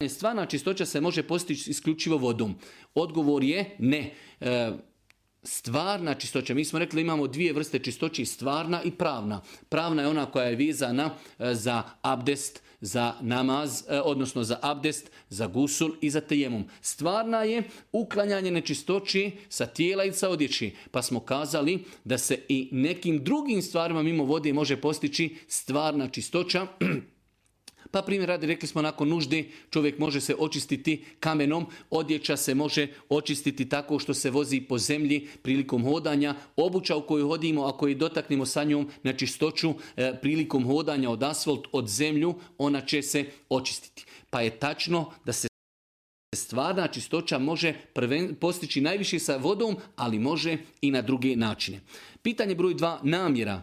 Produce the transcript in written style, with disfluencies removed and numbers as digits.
stvarna čistoća se može postići isključivo vodom. Odgovor je ne. Stvarna čistoća, mi smo rekli imamo dvije vrste čistoće, stvarna i pravna. Pravna je ona koja je vezana za abdest, za namaz, odnosno za abdest, za gusul i za tejemum. Stvarna je uklanjanje nečistoći sa tijela i sa odjeći. Pa smo kazali da se i nekim drugim stvarima mimo vode može postići stvarna čistoća. Pa primjer radi, rekli smo nakon nužde čovjek može se očistiti kamenom, odjeća se može očistiti tako što se vozi po zemlji prilikom hodanja, obuća u koju hodimo, ako je dotaknemo sa njom na čistoću prilikom hodanja od asfalt, od zemlju, ona će se očistiti. Pa je tačno da se stvarna čistoća može postići najviše sa vodom, ali može i na druge načine. Pitanje broj 2, namjera.